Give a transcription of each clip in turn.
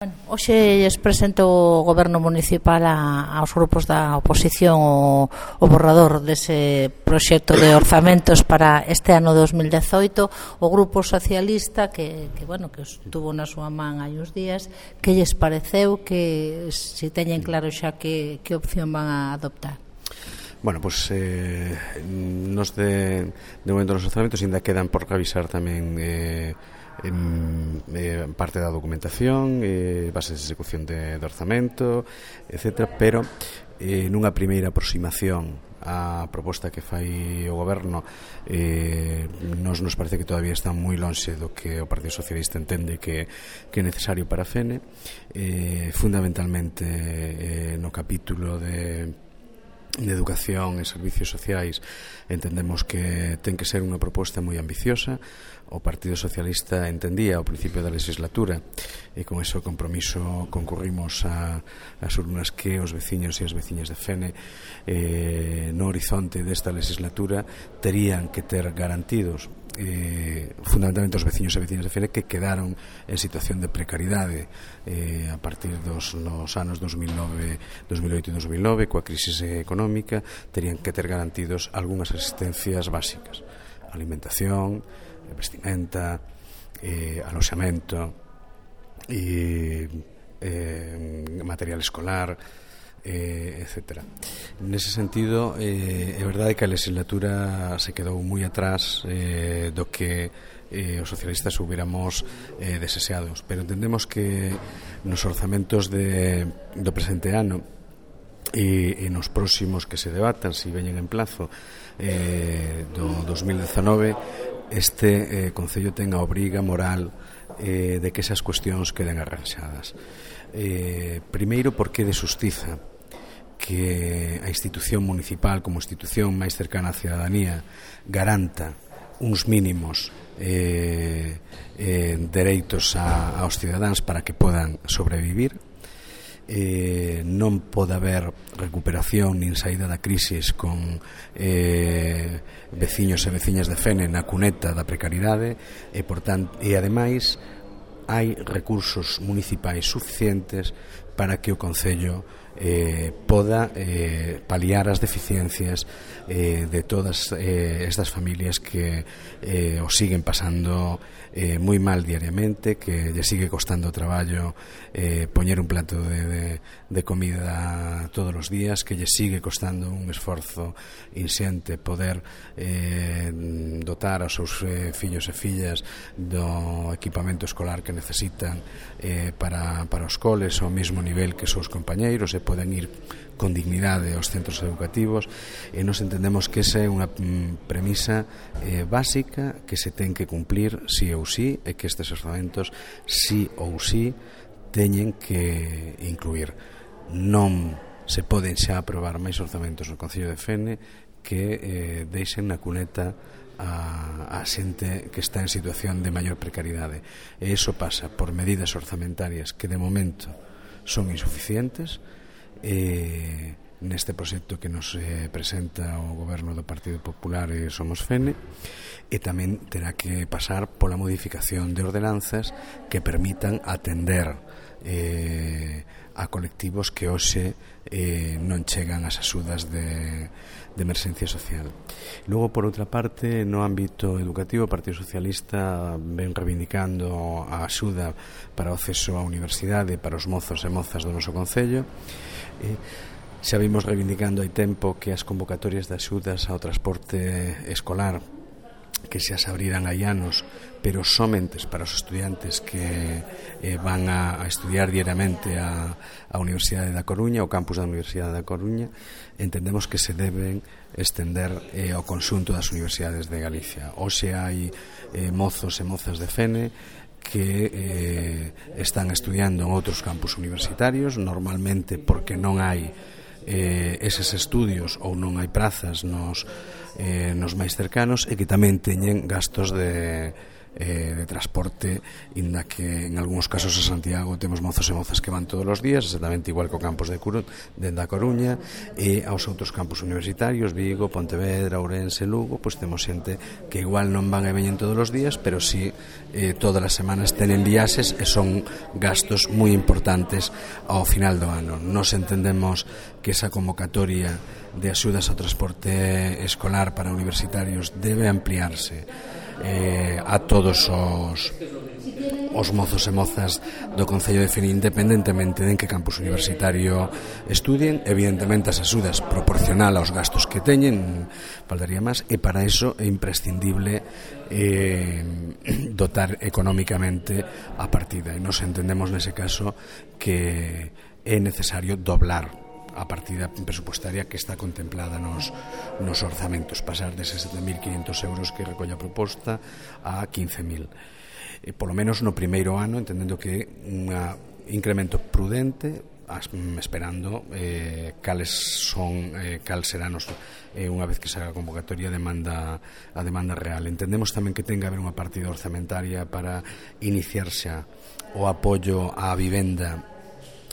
Hoxe lles presento o Goberno Municipal aos grupos da oposición o borrador dese proxecto de orzamentos para este ano 2018. O Grupo Socialista que estuvo na súa man hai uns días, que lles pareceu, que se teñen claro xa que opción van a adoptar? Bueno, pois nos de momento nos orzamentos ainda quedan por revisar tamén parte da documentación, bases de execución de orzamento, etc. Pero nunha primeira aproximación á proposta que fai o Goberno, nos parece que todavía está moi lonxe do que o Partido Socialista entende que é necesario para a FENE, fundamentalmente no capítulo de educación e servicios sociais. Entendemos que ten que ser unha proposta moi ambiciosa. O Partido Socialista entendía ao principio da legislatura, e con ese compromiso concurrimos as urnas, que os veciños e as veciñas de Fene no horizonte desta legislatura terían que ter garantidos, fundamentalmente os veciños e veciñas de Fene que quedaron en situación de precariedade a partir dos anos 2008 e 2009, coa crisis económica, terían que ter garantidos algunhas asistencias básicas: alimentación, vestimenta, aloxamento, material escolar, etc. Nese sentido, é verdade que a legislatura se quedou moi atrás do que os socialistas hubiéramos deseados, pero entendemos que nos orzamentos do presente ano e nos próximos que se debatan, se veñen en plazo, do 2019, este Concello ten a obriga moral de que esas cuestións queden arranxadas. Primeiro, porque de xustiza que a institución municipal, como institución máis cercana á cidadanía, garanta uns mínimos dereitos aos cidadáns para que podan sobrevivir. Non pode haber recuperación nin saída da crisis con veciños e veciñas de Fene na cuneta da precariedade, e ademais hai recursos municipais suficientes para que o Concello poda paliar as deficiencias de todas estas familias que o siguen pasando moi mal diariamente, que lle sigue costando traballo poñer un plato de comida todos os días, que lle sigue costando un esforzo inxente poder dotar aos seus fillos e fillas do equipamento escolar que necesitan para os coles ao mesmo nivel que os seus compañeiros, e poden ir con dignidade aos centros educativos. E nos entendemos que esa é unha premisa básica que se ten que cumplir sí ou sí, e que estes orzamentos sí ou sí teñen que incluir. Non se poden xa aprobar máis orzamentos no Concello de Fene que deixen na cuneta a xente que está en situación de maior precariedade. E iso pasa por medidas orzamentarias que de momento son insuficientes neste proxecto que nos presenta o Goberno do Partido Popular e Somos Fene, e tamén terá que pasar pola modificación de ordenanzas que permitan atender a colectivos que hoxe non chegan ás axudas de emerxencia social. Logo, por outra parte, no ámbito educativo, o Partido Socialista ven reivindicando a axuda para o acceso á universidade para os mozos e mozas do noso Concello. Xa vimos reivindicando hai tempo que as convocatorias de axudas ao transporte escolar, que xa se abriran hai anos, pero somente para os estudiantes que van a estudiar diariamente a Universidade da Coruña, o campus da Universidade da Coruña, entendemos que se deben estender ao conxunto das universidades de Galicia. Hoxe hai mozos e mozas de Fene que están estudiando en outros campus universitarios, normalmente porque non hai eses estudios ou non hai prazas nos máis cercanos, e que tamén teñen gastos de de transporte, inda que en algúns casos a Santiago temos mozos e mozas que van todos os días, exactamente igual que o campus da Coruña, e aos outros campus universitarios, Vigo, Pontevedra, Ourense, Lugo, pois temos xente que igual non van e veñen todos os días, pero sí todas as semanas tenen viaxes e son gastos moi importantes ao final do ano. Nos entendemos que esa convocatoria de axudas ao transporte escolar para universitarios debe ampliarse a todos os mozos e mozas do Concello de Fene, independentemente de en que campus universitario estudien. Evidentemente as axudas proporcional aos gastos que teñen, faltaría máis, e para iso é imprescindible dotar económicamente a partida, e nos entendemos nese caso que é necesario doblar a partida presupuestaria que está contemplada nos orzamentos, pasar deses 7.500 euros que recolle a proposta a 15.000. Polo menos no primeiro ano, entendendo que un incremento prudente, esperando cal será unha vez que se haga a convocatoria a demanda real. Entendemos tamén que ten que haber unha partida orzamentaria para iniciarse o apoio á vivenda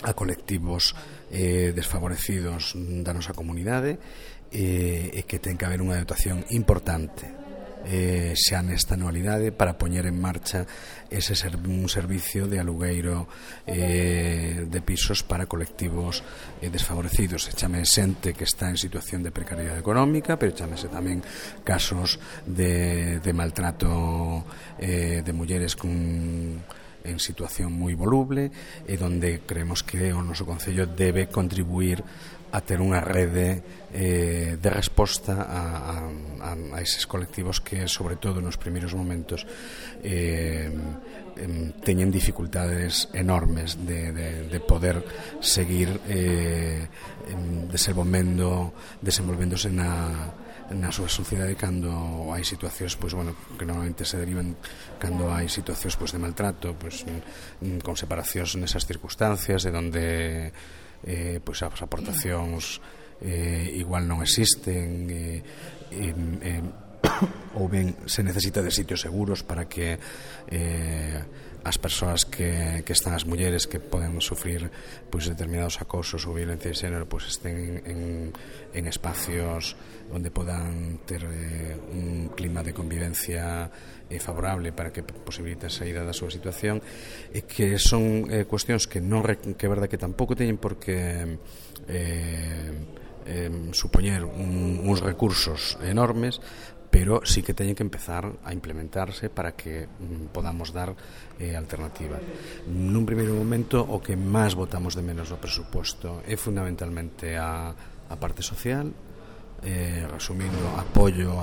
a colectivos desfavorecidos da nosa comunidade, e que ten que haber unha dotación importante xa nesta anualidade para poñer en marcha un servicio de alugueiro de pisos para colectivos desfavorecidos. Chame xente que está en situación de precariedade económica, pero chamese tamén casos de maltrato de mulleres en situación moi voluble, e donde creemos que o noso Concello debe contribuir a ter unha rede de resposta a eses colectivos que, sobre todo nos primeiros momentos, teñen dificultades enormes de poder seguir desenvolvéndose na súa sociedade cando hai situacións, pois, bueno, que normalmente se derivan cando hai situacións, pois, de maltrato, pois, con separacións nesas circunstancias, de donde pois as aportacións igual non existen, ou ben se necesita de sitios seguros para que as persoas que están, as mulleres que poden sufrir pois determinados acosos ou violencia de xénero, pois estén en espacios onde podan ter un clima de convivencia favorable para que posibilite a saída da súa situación, e que son cuestións que é verdad que tampouco teñen por que supoñer uns recursos enormes, pero sí que teñen que empezar a implementarse para que podamos dar alternativa. Nun primeiro momento, o que máis botamos de menos no presuposto é fundamentalmente a parte social, resumindo, apoio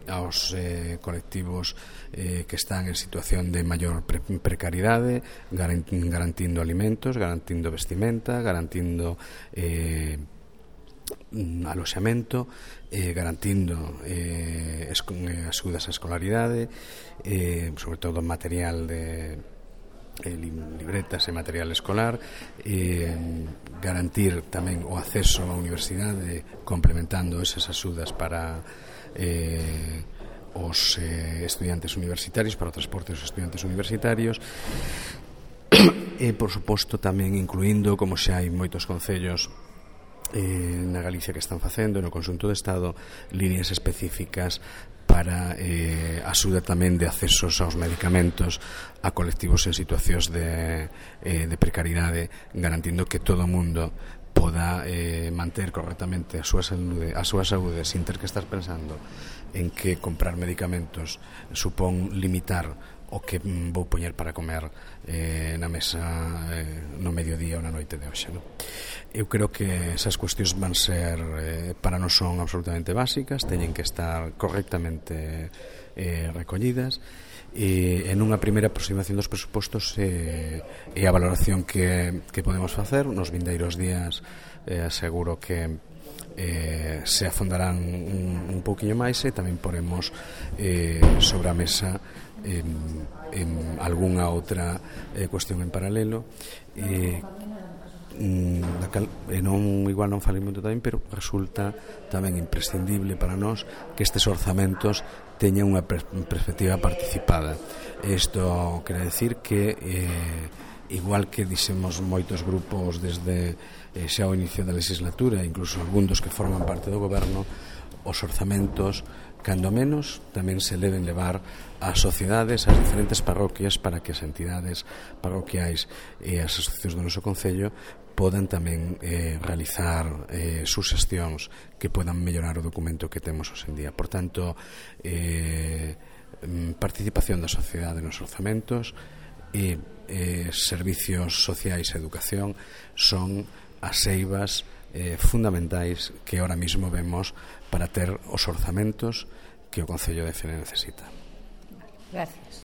aos colectivos que están en situación de maior precariedade, garantindo alimentos, garantindo vestimenta, garantindo aloxamento, garantindo axudas á escolaridade, sobre todo material de libretas e material escolar, garantir tamén o acceso á universidade, complementando esas axudas para os estudiantes universitarios, para o transporte dos estudiantes universitarios, e, por suposto, tamén incluindo, como xa hai moitos concellos na Galicia que están facendo, no conxunto do Estado, líneas específicas para axuda tamén de accesos aos medicamentos a colectivos en situacións de precariedade, garantindo que todo o mundo poda manter correctamente a súa saúde sin ter que estar pensando en que comprar medicamentos supón limitar o que vou poñer para comer na mesa no mediodía ou na noite de hoxe, non? Eu creo que esas cuestións van ser, para nós son absolutamente básicas, teñen que estar correctamente recollidas, e en unha primeira aproximación dos presupostos e a valoración que podemos facer nos vindeiros días, seguro que se afondarán un pouquiño máis, e tamén poremos sobre a mesa en algunha outra cuestión en paralelo da cal, igual non falei moito tamén, pero resulta tamén imprescindible para nós que estes orzamentos teñan unha perspectiva participada. Isto quere decir que igual que dixemos moitos grupos desde xa o inicio da legislatura, incluso algún dos que forman parte do goberno, os orzamentos, cando menos, tamén se deben levar ás sociedades, ás diferentes parroquias, para que as entidades parroquiais e as asociacións do noso concello podan tamén realizar suxestións que podan mellorar o documento que temos hoxe en día. Por tanto, participación da sociedade nos orzamentos e servicios sociais e educación son as eivas fundamentais que ahora mismo vemos para ter os orzamentos que o Concello de Fene necesita. Gracias.